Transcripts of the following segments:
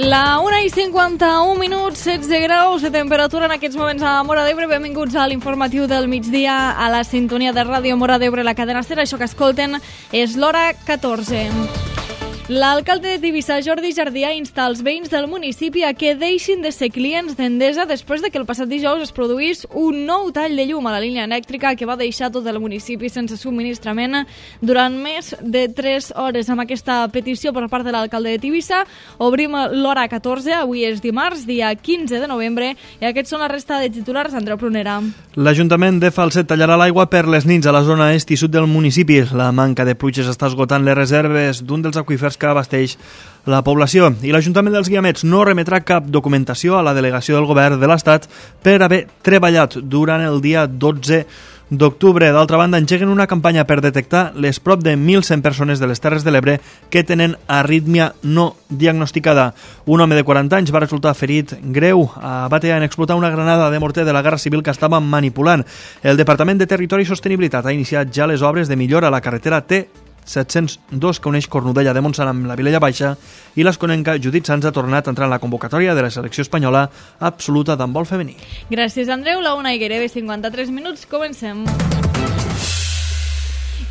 La 1:51, 16 graus de temperatura en aquests moments a Móra d'Ebre. Benvinguts a l'informatiu del migdia a la sintonia de Ràdio Móra d'Ebre, la cadena SER. Això que escolten és l'hora 14. L'alcalde de Tivissa, Jordi Jardià, insta els veïns del municipi a que deixin de ser clients d'Endesa després de que el passat dijous es produís un nou tall de llum a la línia elèctrica que va deixar tot el municipi sense subministrament durant més de 3 hores. Amb aquesta petició per part de l'alcalde de Tivissa obrim l'hora 14. Avui és dimarts, dia 15 de novembre, i aquests són la resta de titulars. Andreu Prunera. L'Ajuntament de Falset tallarà l'aigua per les nits a la zona est i sud del municipi. La manca de pluges està esgotant les reserves d'un dels aqüífers que abasteix la població. I l'Ajuntament dels Guiamets no remetrà cap documentació a la delegació del govern de l'Estat per haver treballat durant el dia 12 d'octubre. D'altra banda, engeguen una campanya per detectar les prop de 1.100 persones de les Terres de l'Ebre que tenen arrítmia no diagnosticada. Un home de 40 anys va resultar ferit greu a Batea en explotar una granada de morter de la Guerra Civil que estava manipulant. El Departament de Territori i Sostenibilitat ha iniciat ja les obres de millora a la carretera T702 que uneix Cornudella de Montsant amb la Vilella Baixa, i l'esconenca Judit Sanz ha tornat a entrar en la convocatòria de la selecció espanyola absoluta d'handbol femení. Gràcies, Andreu. La 1:53 minuts. Comencem.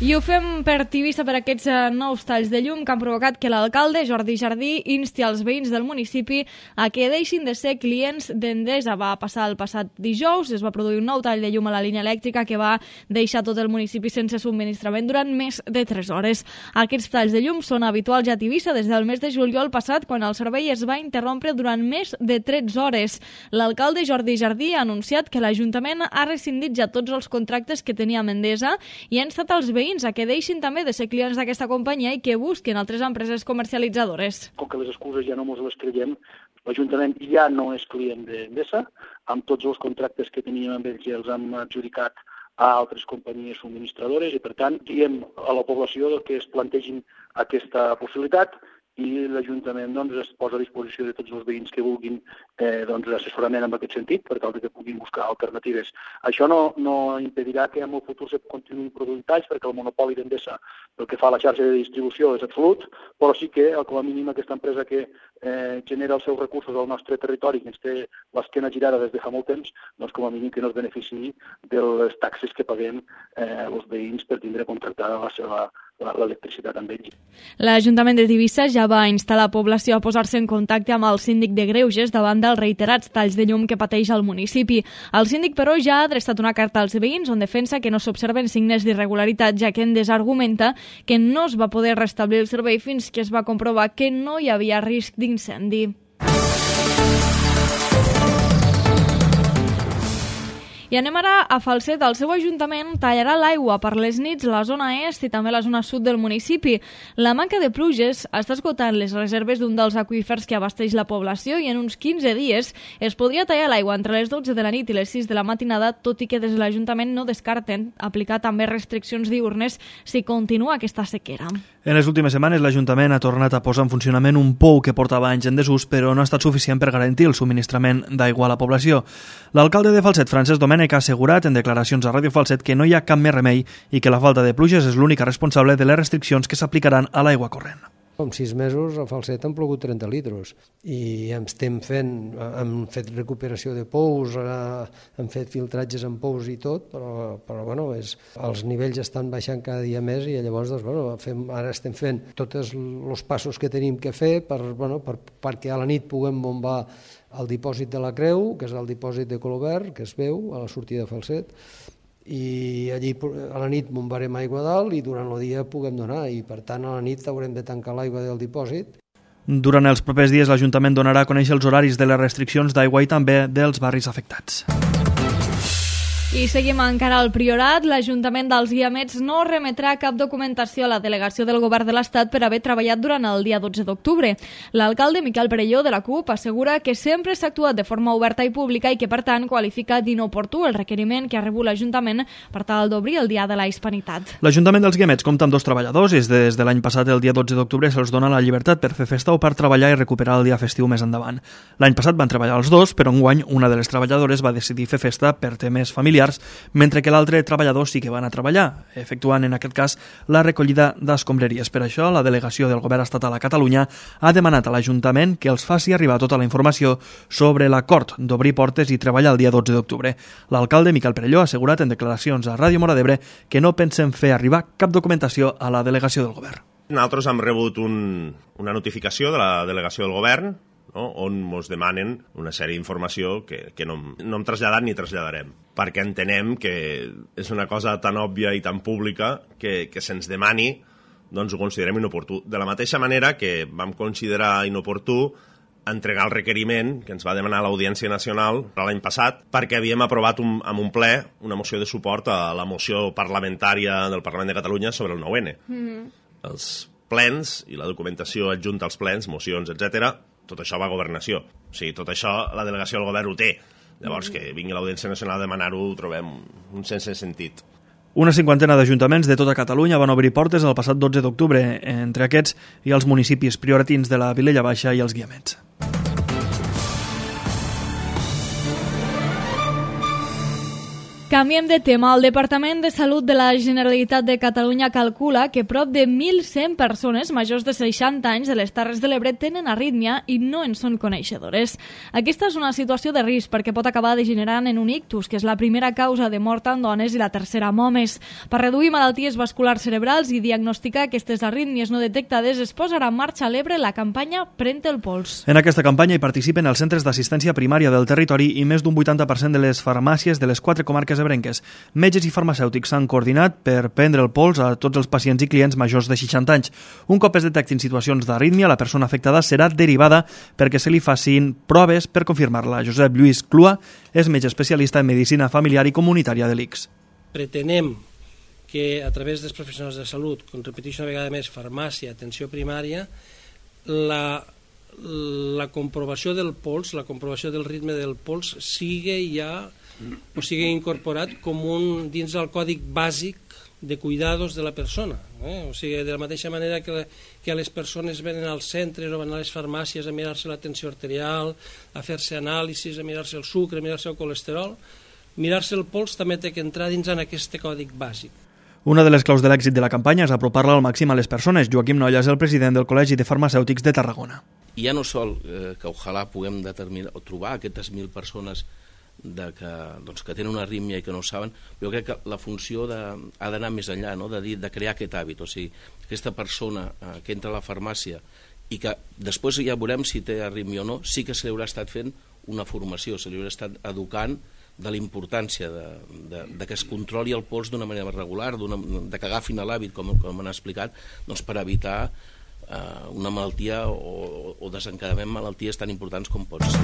I ho fem per Tivissa per aquests nous talls de llum que han provocat que l'alcalde, Jordi Jardí, insti als veïns del municipi a que deixin de ser clients d'Endesa. Va passar el passat dijous, es va produir un nou tall de llum a la línia elèctrica que va deixar tot el municipi sense subministrament durant més de 3 hores. Aquests talls de llum són habituals ja a Tivissa des del mes de juliol passat, quan el servei es va interrompre durant més de 13 hores. L'alcalde Jordi Jardí ha anunciat que l'Ajuntament ha rescindit ja tots els contractes que tenia amb Endesa i ha instat als veïns a que deixin també de ser clients d'aquesta companyia i que busquin altres empreses comercialitzadores. Com que les excuses ja no mos les creiem, l'Ajuntament ja no és client d'Endesa, amb tots els contractes que teníem amb ells ja els hem adjudicat a altres companyies subministradores i, per tant, diem a la població que es plantegin aquesta possibilitat i l'Ajuntament es posa a disposició de tots els veïns que vulguin assessorament en aquest sentit per tal que puguin buscar alternatives. Això no impedirà que en el futur se continuïn produint talls, perquè el monopoli d'Endesa pel que fa a la xarxa de distribució és absolut, però sí que com a mínim aquesta empresa que genera els seus recursos al nostre territori, que ens té l'esquena girada des de fa molt temps, com a mínim que no es beneficiï de les taxes que paguem els veïns per tindre contractada l'electricitat amb ells. L'Ajuntament de Tivissa ja va instar la població a posar-se en contacte amb el síndic de Greuges davant dels reiterats talls de llum que pateix el municipi. El síndic, però, ja ha adreçat una carta als veïns on defensa que no s'observen signes d'irregularitat, ja que Endesa argumenta que no es va poder restablir el servei fins que es va comprovar que no hi havia risc d'incendi. I anem ara a Falset. El seu ajuntament tallarà l'aigua per les nits a la zona est i també a la zona sud del municipi. La manca de pluges està esgotant les reserves d'un dels aqüífers que abasteix la població i en uns 15 dies es podria tallar l'aigua entre les 12 de la nit i les 6 de la matinada, tot i que des de l'Ajuntament no descarten aplicar també restriccions diürnes si continua aquesta sequera. En les últimes setmanes l'Ajuntament ha tornat a posar en funcionament un pou que portava anys en desús, però no ha estat suficient per garantir el subministrament d'aigua a la població. L'alcalde de Falset, Francesc Domènech, ha assegurat en declaracions a Ràdio Falset que no hi ha cap més remei i que la falta de pluges és l'única responsable de les restriccions que s'aplicaran a l'aigua corrent. En 6 mesos a Falset han plogut 30 litres i hem fet recuperació de pous, hem fet filtratges en pous i tot, però els nivells estan baixant cada dia més i llavors ara estem fent tots els passos que tenim que fer perquè a la nit puguem bombar el dipòsit de la Creu, que és el dipòsit de color verd, que es veu a la sortida de Falset, i allí a la nit bombarem aigua dalt i durant el dia puguem donar, i per tant a la nit haurem de tancar l'aigua del dipòsit. Durant els propers dies l'Ajuntament donarà a conèixer els horaris de les restriccions d'aigua i també dels barris afectats. I seguim encara al Priorat. L'Ajuntament dels Guiamets no remetrà cap documentació a la delegació del Govern de l'Estat per haver treballat durant el dia 12 d'octubre. L'alcalde Miquel Perelló de la CUP assegura que sempre s'ha actuat de forma oberta i pública i que, per tant, qualifica d'inoportú el requeriment que ha rebut l'Ajuntament per tal d'obrir el Dia de la Hispanitat. L'Ajuntament dels Guiamets compta amb 2 treballadors i des de l'any passat, el dia 12 d'octubre, se'ls dona la llibertat per fer festa o per treballar i recuperar el dia festiu més endavant. L'any passat van treballar els 2, però enguany una de les treballadores va decidir fer festa per temes familiars familiars, mentre que l'altre treballador sí que va anar a treballar, efectuant en aquest cas la recollida d'escombraries. Per això, la delegació del Govern Estatal a Catalunya ha demanat a l'Ajuntament que els faci arribar tota la informació sobre l'acord d'obrir portes i treballar el dia 12 d'octubre. L'alcalde Miquel Perelló ha assegurat en declaracions a Ràdio Móra d'Ebre que no pensen fer arribar cap documentació a la delegació del Govern. Nosaltres hem rebut una notificació de la delegació del Govern, no?, on ens demanen una sèrie d'informació que no hem traslladat ni traslladarem, perquè entenem que és una cosa tan òbvia i tan pública que se'ns demani, doncs ho considerem inoportú. De la mateixa manera que vam considerar inoportú entregar el requeriment que ens va demanar l'Audiència Nacional l'any passat, perquè havíem aprovat amb un ple una moció de suport a la moció parlamentària del Parlament de Catalunya sobre el 9N. Els plens i la documentació adjunta als plens, mocions, etc., tot això va a Governació. O sigui, tot això la delegació del Govern ho té. Llavors, que vingui l'Audiència Nacional a demanar-ho ho trobem un sense sentit. Una cinquantena d'ajuntaments de tota Catalunya van obrir portes el passat 12 d'octubre. Entre aquests hi ha els municipis prioratins de la Vilella Baixa i els Guiamets. Canviem de tema. El Departament de Salut de la Generalitat de Catalunya calcula que prop de 1.100 persones majors de 60 anys de les Terres de l'Ebre tenen arrítmia i no en són coneixedores. Aquesta és una situació de risc perquè pot acabar degenerant en un ictus, que és la primera causa de mort en dones i la tercera en homes. Per reduir malalties vasculars cerebrals i diagnosticar aquestes arrítmies no detectades, es posarà en marxa a l'Ebre la campanya Pren el pols. En aquesta campanya hi participen els centres d'assistència primària del territori i més d'un 80% de les farmàcies de les 4 comarques ebrenques. Metges i farmacèutics s'han coordinat per prendre el pols a tots els pacients i clients majors de 60 anys. Un cop es detectin situacions d'arrítmia, la persona afectada serà derivada perquè se li facin proves per confirmar-la. Josep Lluís Clua és metge especialista en medicina familiar i comunitària de l'ICS. Pretenem que a través dels professionals de salut, com repeteixo una vegada més, farmàcia, atenció primària, la comprovació del pols, la comprovació del ritme del pols sigui incorporat com dins del còdic bàsic de cuidados de la persona. O sigui, de la mateixa manera que les persones venen als centres o van a les farmàcies a mirar-se la tensió arterial, a fer-se anàlisis, a mirar-se el sucre, a mirar-se el colesterol, mirar-se el pols també té que entrar dins en aquest còdic bàsic. Una de les claus de l'èxit de la campanya és apropar-la al màxim a les persones. Joaquim Nolla és el president del Col·legi de Farmacèutics de Tarragona. I ja no sol que ojalà puguem determinar o trobar aquestes 1.000 persones que tenen una arrítmia i que no ho saben, jo crec que la funció ha d'anar més enllà, no? de crear aquest hàbit, o sigui, aquesta persona que entra a la farmàcia i que després ja veurem si té arrítmia o no, sí que se li haurà estat fent una formació, se li haurà estat educant de la importància de que es controli el pols d'una manera regular, de que agafin l'hàbit, com han explicat, doncs per evitar una malaltia o desencadament malalties tan importants com pot ser.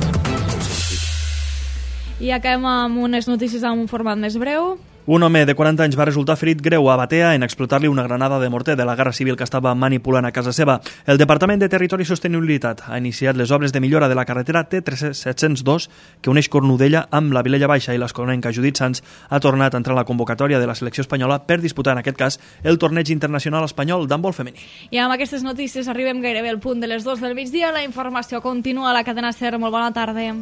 I acabem amb unes notícies amb un format més breu. Un home de 40 anys va resultar ferit greu a Batea en explotar-li una granada de morter de la Guerra Civil que estava manipulant a casa seva. El Departament de Territori i Sostenibilitat ha iniciat les obres de millora de la carretera T702 que uneix Cornudella amb la Vilella Baixa i l'Escolenca. Judit Sans ha tornat a entrar a la convocatòria de la selecció espanyola per disputar, en aquest cas, el torneig internacional espanyol d'handbol femení. I amb aquestes notícies arribem gairebé al punt de les 2 del migdia. La informació continua a la cadena SER. Molt bona tarda.